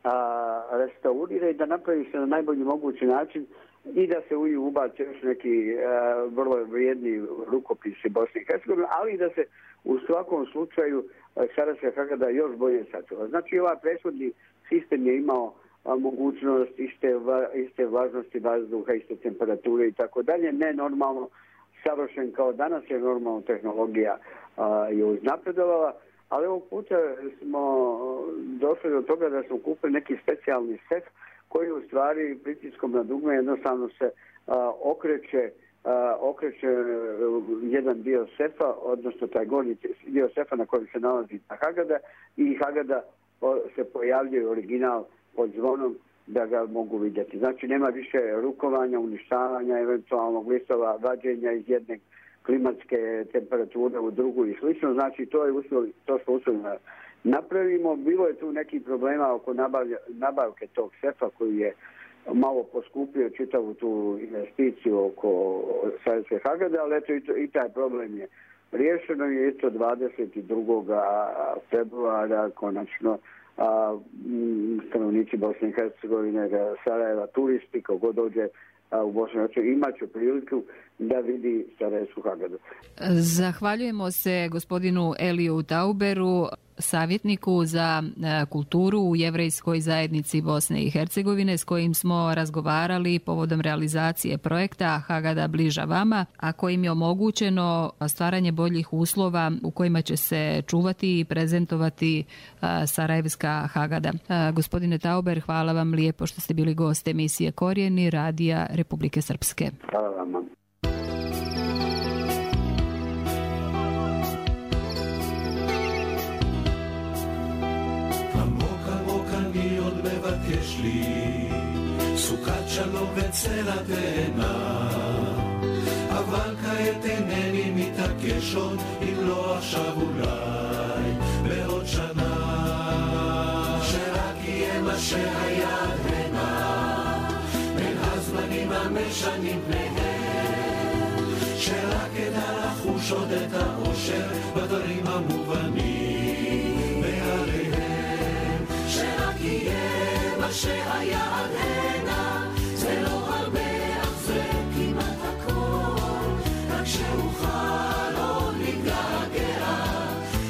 a, restaurira i da napravi se na najbolji mogući način i da se u nju ubace još neki a, vrlo vrijedni rukopisi Bosne i Hercegovine, ali i da se u svakom slučaju Sarajevska Hagada još bolje sačuva. Znači, ovaj prethodni sistem je imao a, mogućnost iste, iste vlažnosti vazduha, iste temperature i tako dalje, ne normalno savršen kao danas je normalno tehnologija a, je uznapredovala, ali ovog puta smo došli do toga da smo kupili neki specijalni sef koji u stvari pritiskom na dugme jednostavno se a, okreće a, okreće jedan dio sefa, odnosno taj gornji dio sefa na kojem se nalazi ta Hagada i Hagada se pojavljuje original pod zvonom da ga mogu vidjeti. Znači nema više rukovanja, uništavanja, eventualnog listova, vađenja iz jedne klimatske temperature u drugu i slično. Znači to je uspjeli, to smo uspjeli napravimo. Bilo je tu nekih problema oko nabavlja, nabavke tog sefa koji je malo poskupio čitavu tu investiciju oko Sarajevske Hagade, ali eto i, to, i taj problem je riješeno je isto dvadeset drugog februara konačno a, stanovnici Bosne i Hercegovine, Sarajeva, turisti, kako dođe a, u Bosnu i Hercegovinu, imat će priliku da vidi Sarajevsku Hagadu. Zahvaljujemo se gospodinu Eliju Tauberu, savjetniku za kulturu u jevrejskoj zajednici Bosne i Hercegovine, s kojim smo razgovarali povodom realizacije projekta Hagada bliža vama, a kojim je omogućeno stvaranje boljih uslova u kojima će se čuvati i prezentovati Sarajevska Hagada. Gospodine Tauber, hvala vam lijepo što ste bili gost emisije Korijeni Radija Republike Srpske. Hvala vam. יש לי סוכת שלום וצל התאנה, אבל כעת אינני מתעקש עוד, אם לא עכשיו אולי בעוד שנה, שרק יהיה מה שהיה הנה בין הזמנים המשנים פניהם, שרק אדע לחוש עוד את האושר בדברים המובנים מעליהם, שרק יהיה מה שהיה עד הנה, זה לא הרבה אך זה כמעט הכל, רק שאוכל עוד להתגעגע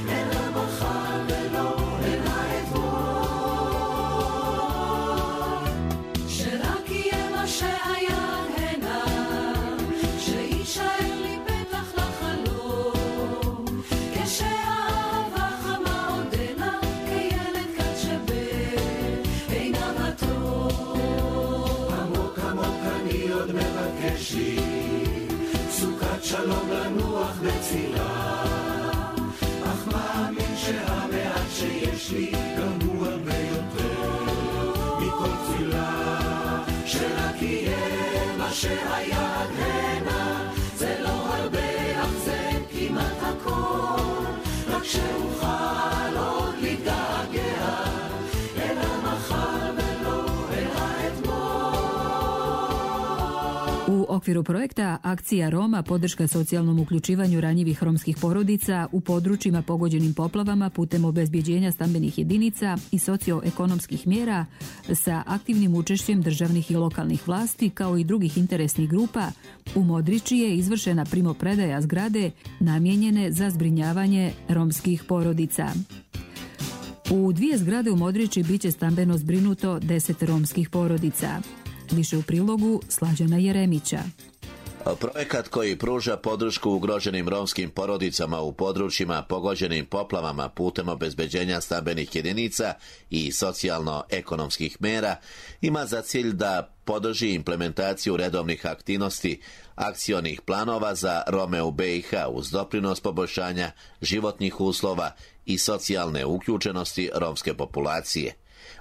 אל המחר ולא אל האתמול. שלום לנוח בצילה, אך מאמין שהמעט שיש לי גם הוא הרבה יותר מכל תפילה, שרק יהיה מה שהיה עד הנה, זה לא הרבה אך זה כמעט הכל, רק שאוכל עוד להתגעגע אל המחר ולא אל האתמול. U okviru projekta Akcija Roma podrška socijalnom uključivanju ranjivih romskih porodica u područjima pogođenim poplavama putem obezbjeđenja stambenih jedinica i socioekonomskih mjera sa aktivnim učešćem državnih i lokalnih vlasti kao i drugih interesnih grupa, u Modriči je izvršena primopredaja zgrade namijenjene za zbrinjavanje romskih porodica. U dvije zgrade u Modriči biće stambeno zbrinuto deset romskih porodica. Više u prilogu Slađana Jeremića. Projekat koji pruža podršku ugroženim romskim porodicama u područjima pogođenim poplavama putem obezbeđenja stambenih jedinica i socijalno-ekonomskih mera ima za cilj da podrži implementaciju redovnih aktivnosti akcionih planova za Rome u B i H uz doprinos poboljšanja životnih uslova i socijalne uključenosti romske populacije.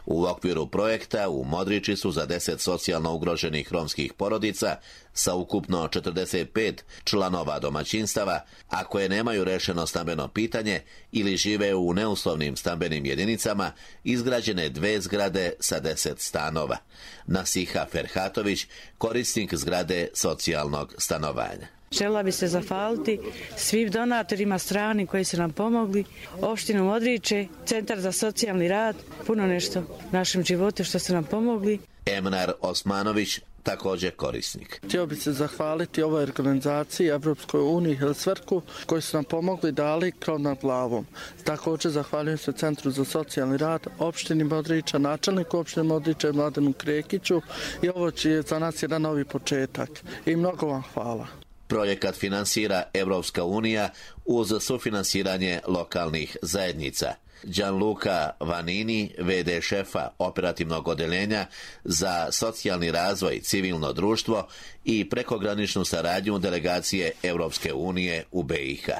U okviru projekta u Modriči su za deset socijalno ugroženih romskih porodica sa ukupno četrdeset pet članova domaćinstava, a koje nemaju rešeno stambeno pitanje ili žive u neuslovnim stambenim jedinicama, izgrađene dve zgrade sa deset stanova. Nasiha Ferhatović, korisnik zgrade socijalnog stanovanja. Željela bi se zahvaliti svim donatorima strani koji su nam pomogli, opštinu Modriče, Centar za socijalni rad, puno nešto našem životu što su nam pomogli. Emnar Osmanović, također korisnik. Htio bi se zahvaliti ovoj organizaciji, Evropskoj uniji i Helsverku, koji su nam pomogli, dali krov nad glavom. Također zahvaljujem se Centru za socijalni rad, opštini Modriča, načelniku opštine Modriča Mladenu Krekiću, i ovo je za nas jedan novi početak. I mnogo vam hvala. Projekat finansira Evropska unija uz sufinansiranje lokalnih zajednica. Gianluca Vanini, ve de šefa operativnog odeljenja za socijalni razvoj, civilno društvo i prekograničnu saradnju delegacije Evropske unije u B i H.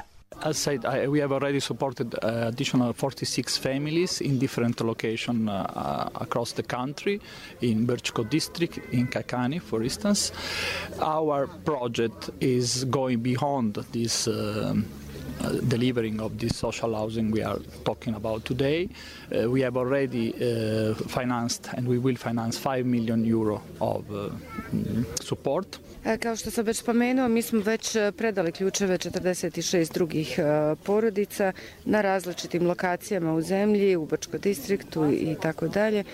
As said, I, we have already supported uh, additional forty-six families in different locations uh, across the country, in Brčko district, in Kakani, for instance. Our project is going beyond this uh, Uh, delivering of this social housing we are talking about today. Uh, we have already uh, financed and we will finance five million euro of uh, support. Kao što sam već spomenuo, mi smo već predali ključeve četrdeset šest drugih porodica na različitim lokacijama u zemlji, u Brčko distriktu i tako dalje.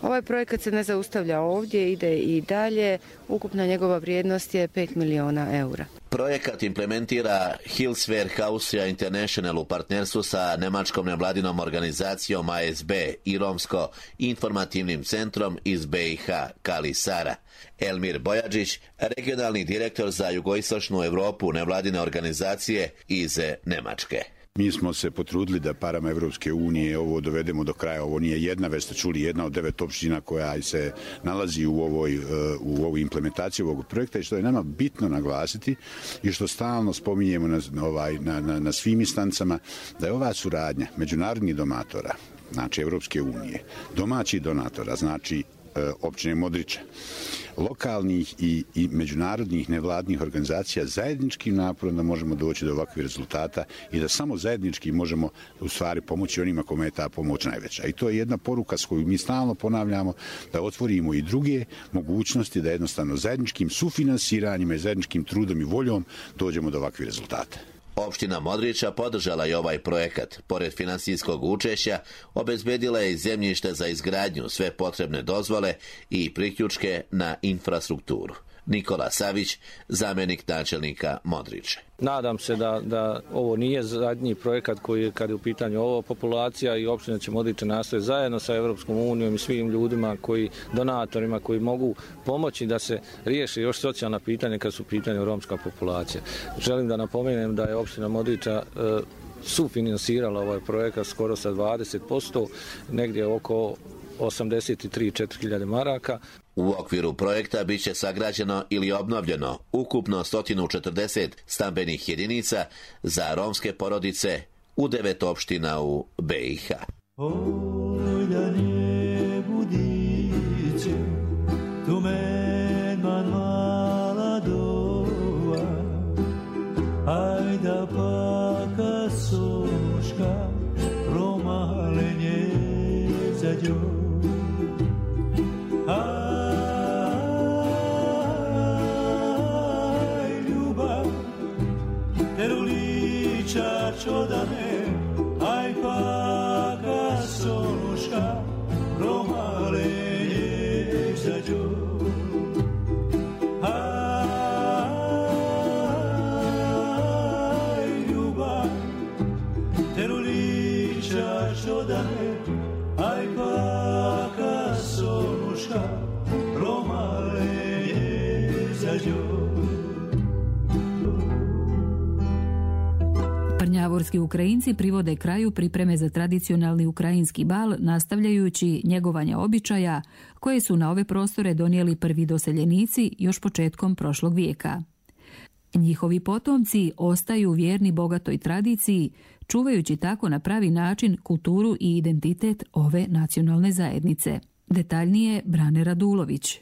Ovaj projekat se ne zaustavlja ovdje, ide i dalje. Ukupna njegova vrijednost je pet miliona eura. Projekat implementira Hilswerk Austria International u partnerstvu sa nemačkom nevladinom organizacijom A S B i romsko-informativnim centrom iz B i H Kali Sara. Elmir Bojadžić, regionalni direktor za jugoistočnu Europu nevladine organizacije iz Nemačke. Mi smo se potrudili da parama Evropske unije ovo dovedemo do kraja. Ovo nije jedna, već ste čuli, jedna od devet opština koja se nalazi u ovoj, u ovoj implementaciji ovog projekta, i što je nama bitno naglasiti i što stalno spominjemo na, ovaj, na, na, na svim instancama, da je ova suradnja međunarodnih donatora, znači Evropske unije, domaćih donatora, znači općine Modriča, lokalnih i, i međunarodnih nevladnih organizacija zajedničkim naporom da možemo doći do ovakvih rezultata i da samo zajednički možemo u stvari pomoći onima kome je ta pomoć najveća. I to je jedna poruka s koju mi stalno ponavljamo, da otvorimo i druge mogućnosti, da jednostavno zajedničkim sufinansiranjima i zajedničkim trudom i voljom dođemo do ovakvih rezultata. Opština Modriča podržala je ovaj projekat. Pored finansijskog učešća, obezbedila je zemljište za izgradnju, sve potrebne dozvole i priključke na infrastrukturu. Nikola Savić, zamjenik načelnika Modriče. Nadam se da, da ovo nije zadnji projekat koji je, kad je u pitanju ova populacija, i opština će Modriče nastoje zajedno sa Evropskom unijom i svim ljudima, koji, donatorima koji mogu pomoći da se riješi još socijalna pitanja kad su u pitanju romska populacija. Želim da napomenem da je opština Modriča e, sufinansirala ovaj projekat skoro sa dvadeset posto, negdje oko osamdeset tri do četiri hiljade maraka. U okviru projekta bit će sagrađeno ili obnovljeno ukupno sto četrdeset stambenih jedinica za romske porodice u devet opština u B i H. Ajda paka soška promalenje za djom. Aj ljubav teruliča čodane, aj paka soška promalenje za djom. Aj paka sonuška promalenje za djom. Prnjavorski Ukrajinci privode kraju pripreme za tradicionalni ukrajinski bal, nastavljajući njegovanje običaja koje su na ove prostore donijeli prvi doseljenici još početkom prošlog vijeka. Njihovi potomci ostaju vjerni bogatoj tradiciji, čuvajući tako na pravi način kulturu i identitet ove nacionalne zajednice. Detaljnije Brane Radulović.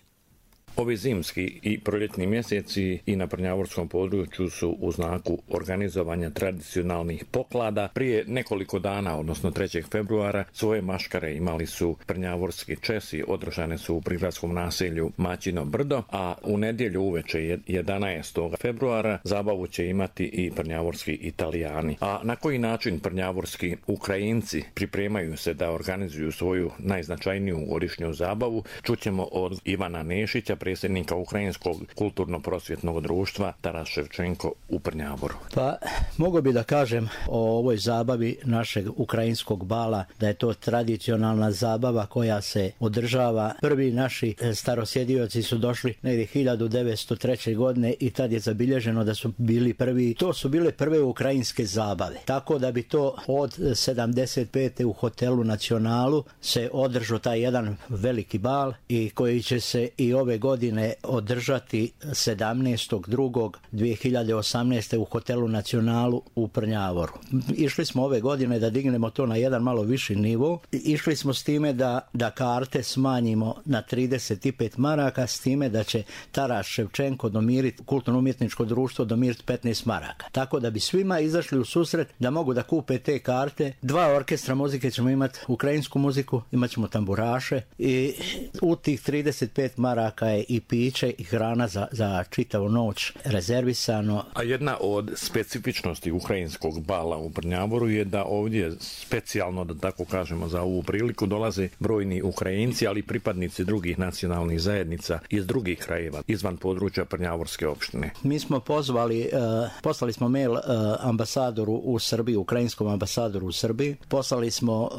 Ovi zimski i proljetni mjeseci i na prnjavorskom području su u znaku organizovanja tradicionalnih poklada. Prije nekoliko dana, odnosno trećeg februara, svoje maškare imali su prnjavorski Česi, održane su u prigradskom naselju Maćino Brdo, a u nedjelju uveče jedanaestog februara zabavu će imati i prnjavorski Italijani. A na koji način prnjavorski Ukrajinci pripremaju se da organizuju svoju najznačajniju godišnju zabavu, čućemo od Ivana Nešića, predsjednika Ukrajinskog kulturno-prosvjetnog društva Taras Ševčenko u Prnjavoru. Pa, mogu bi da kažem o ovoj zabavi našeg ukrajinskog bala, da je to tradicionalna zabava koja se održava. Prvi naši starosjedioci su došli negdje hiljadu devetsto treće. godine i tad je zabilježeno da su bili prvi, to su bile prve ukrajinske zabave. Tako da bi to od sedamdeset pete. u hotelu Nacionalu se održao taj jedan veliki bal i koji će se i ove godine održati sedamnaestog drugog dve hiljade osamnaeste. u hotelu Nacionalu u Prnjavoru. Išli smo ove godine da dignemo to na jedan malo viši nivo. Išli smo s time da, da karte smanjimo na trideset pet maraka, s time da će Taras Ševčenko domiriti, kulturno-umjetničko društvo domiriti petnaest maraka. Tako da bi svima izašli u susret da mogu da kupe te karte. Dva orkestra muzike ćemo imati, ukrajinsku muziku, imat ćemo tamburaše i u tih trideset pet maraka je i piće i hrana za, za čitavu noć rezervisano. A jedna od specifičnosti ukrajinskog bala u Prnjavoru je da ovdje specijalno, da tako kažemo, za ovu priliku dolaze brojni Ukrajinci, ali i pripadnici drugih nacionalnih zajednica iz drugih krajeva, izvan područja Prnjavorske opštine. Mi smo pozvali, uh, poslali smo mail uh, ambasadoru u Srbiji, ukrajinskom ambasadoru u Srbiji, poslali smo uh,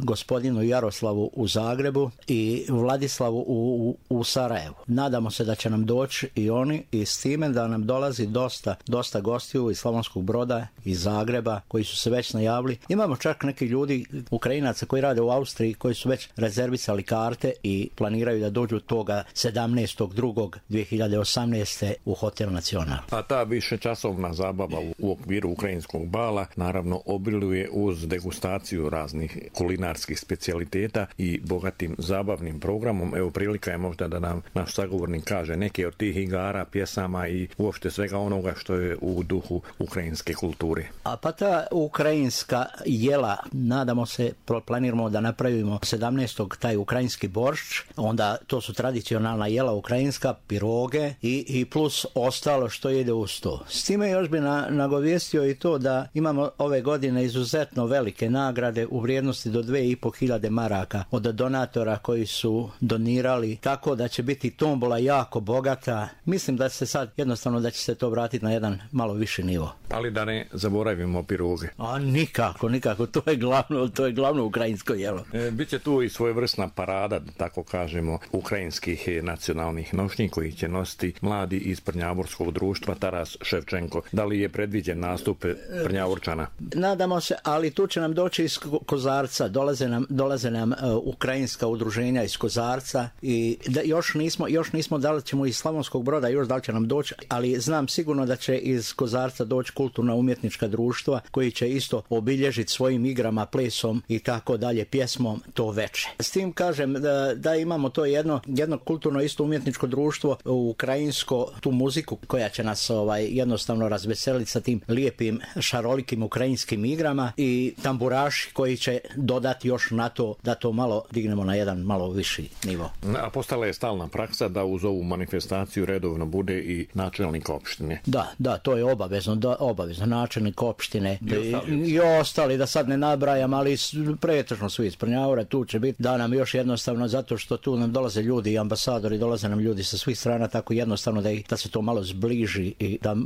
gospodinu Jaroslavu u Zagrebu i Vladislavu u, u, u Sarajevu. Nadamo se da će nam doći i oni i s time da nam dolazi dosta, dosta gostiju iz Slavonskog Broda, iz Zagreba, koji su se već najavili. Imamo čak neki ljudi, Ukrajinaca koji rade u Austriji, koji su već rezervisali karte i planiraju da dođu toga sedamnaestog drugog dve hiljade osamnaeste. u Hotel Nacional. A ta višečasovna zabava u okviru ukrajinskog bala naravno obiluje uz degustaciju raznih kulinarskih specijaliteta i bogatim zabavnim programom. Evo, prilika je možda da nam naš sagovornik kaže neke od tih igara, pjesama i uopšte svega onoga što je u duhu ukrajinske kulture. A pa ta ukrajinska jela, nadamo se, planiramo da napravimo sedamnaestog taj ukrajinski boršč, onda to su tradicionalna jela ukrajinska, piroge i, i plus ostalo što ide uz to. S time još bi na, nagovijestio i to da imamo ove godine izuzetno velike nagrade u vrijednosti do dve i po hiljade maraka od donatora koji su donirali, tako da će biti tombola jako bogata. Mislim da se sad jednostavno da će se to vratiti na jedan malo viši nivo. Ali da ne zaboravimo piruge. A nikako, nikako, to je glavno, to je glavno ukrajinsko jelo. E, Biće tu i svojevrsna parada, da tako kažemo, ukrajinskih nacionalnih nošnji koji će nositi mladi iz Prnjavorskog društva Taras Ševčenko. Da li je predviđen nastup Prnjavorčana? Nadamo se, ali tu će nam doći iz Kozarca, dolaze nam, dolaze nam uh, ukrajinska udruženja iz Kozarca i da, još nismo, još nismo da li ćemo iz Slavonskog Broda, još da li će nam doći, ali znam sigurno da će iz Kozarca doći kulturna umjetnička društva koji će isto obilježiti svojim igrama, plesom i tako dalje, pjesmom to veče. S tim kažem da, da imamo to jedno, jedno kulturno isto umjetničko društvo ukrajinsko, tu muziku koja će nas ovaj, jednostavno razveseliti sa tim lijepim šarolikim ukrajinskim igrama i tamburaši koji će dodati još na to da to malo dignemo na jedan malo viši nivo. A postala je stalna praksa da uz ovu manifestaciju redovno bude i načelnik opštine. Da, da, to je obavezno, da, obavezno načelnik opštine i ostali, i ostali da sad ne nabrajam, ali pretežno svi iz Prnjavora tu će biti, da nam još jednostavno, zato što tu nam dolaze ljudi i ambasadori, dolaze nam ljudi sa svih strana, tako jednostavno da, ih, da se to malo zbliži i da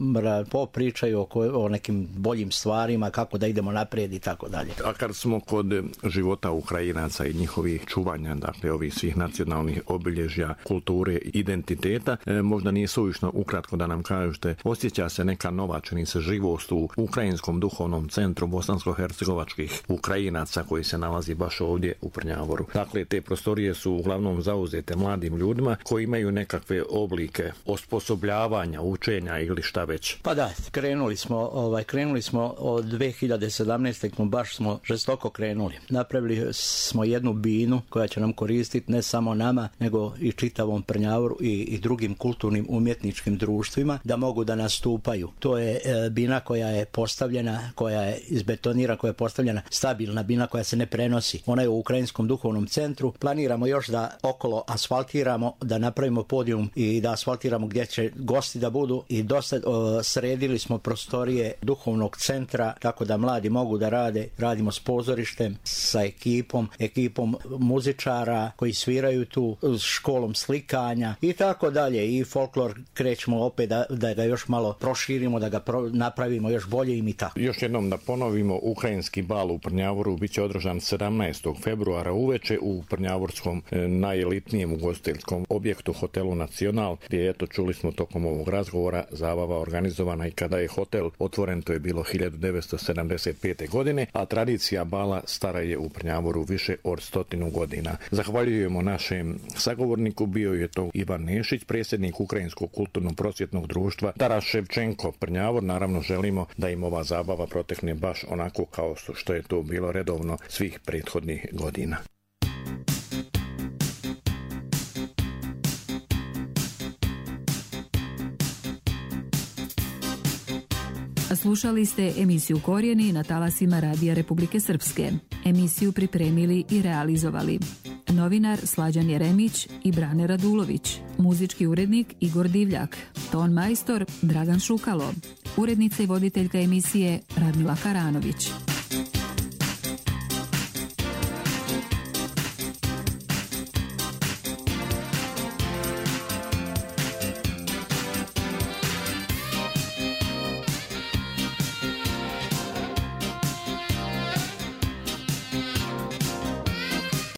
popričaju oko, o nekim boljim stvarima, kako da idemo naprijed i tako dalje. A kad smo kod života Ukrajinaca i njihovih čuvanja, dakle ovih svih nacionalnih obilježja, kulture, identiteta, e, možda nije suvišno ukratko da nam kažete, osjeća se neka nova, čini se, živost u Ukrajinskom duhovnom centru bosansko-hercegovačkih Ukrajinaca koji se nalazi baš ovdje u Prnjavoru. Dakle, te prostorije su uglavnom zauzete mladim ljudima koji imaju nekakve oblike osposobljavanja, učenja ili šta već. Pa da, krenuli smo, ovaj, krenuli smo od dve hiljade sedamnaeste. baš smo žestoko krenuli. Napravili smo jednu binu koja će nam koristiti ne samo nama, nego i čitavom Prnjavoru i, i drugim kulturnim umjetničkim društvima da mogu da nastupaju. To je e, bina koja je postavljena, koja je izbetonira, koja je postavljena stabilna bina koja se ne prenosi. Ona je u Ukrajinskom duhovnom centru. Planiramo još da okolo asfaltiramo, da napravimo podijum i da asfaltiramo gdje će gosti da budu i dosta o, sredili smo prostorije duhovnog centra tako da mladi mogu da rade. Radimo s pozorištem, sa ekipom, ekipom muzičara koji sviraju tu, s školom slikanja i tako dalje. I folklor krećemo opet da, da ga još malo proširimo, da ga pro, napravimo još bolje i tako. Još jednom da ponovimo, ukrajinski bal u Prnjavoru bit će održan sedamnaestog februara uveče u prnjavorskom e, najelitnijem ugostiteljskom objektu hotelu Nacional, gdje eto čuli smo tokom ovog razgovora zabava organizovana i kada je hotel otvoren, to je bilo hiljadu devetsto sedamdeset pete. godine, a tradicija bala stara je u Prnjavoru više od stotinu godina. Zahvaljujemo našem sagovorniku, bio je to Ivan Nešić, predsjednik Ukrajinskog kulturno-prosvjetnog društva Taras Ševčenko Prnjavor. Naravno želimo da im ova zabava protekne baš onako kao što je to bilo redovno svih prethodnih godina. Slušali ste emisiju Korijeni na talasima Radija Republike Srpske. Emisiju pripremili i realizovali novinar Slađan Jeremić i Brane Radulović, muzički urednik Igor Divljak, ton majstor Dragan Šukalo, urednica i voditeljka emisije Radmila Karanović.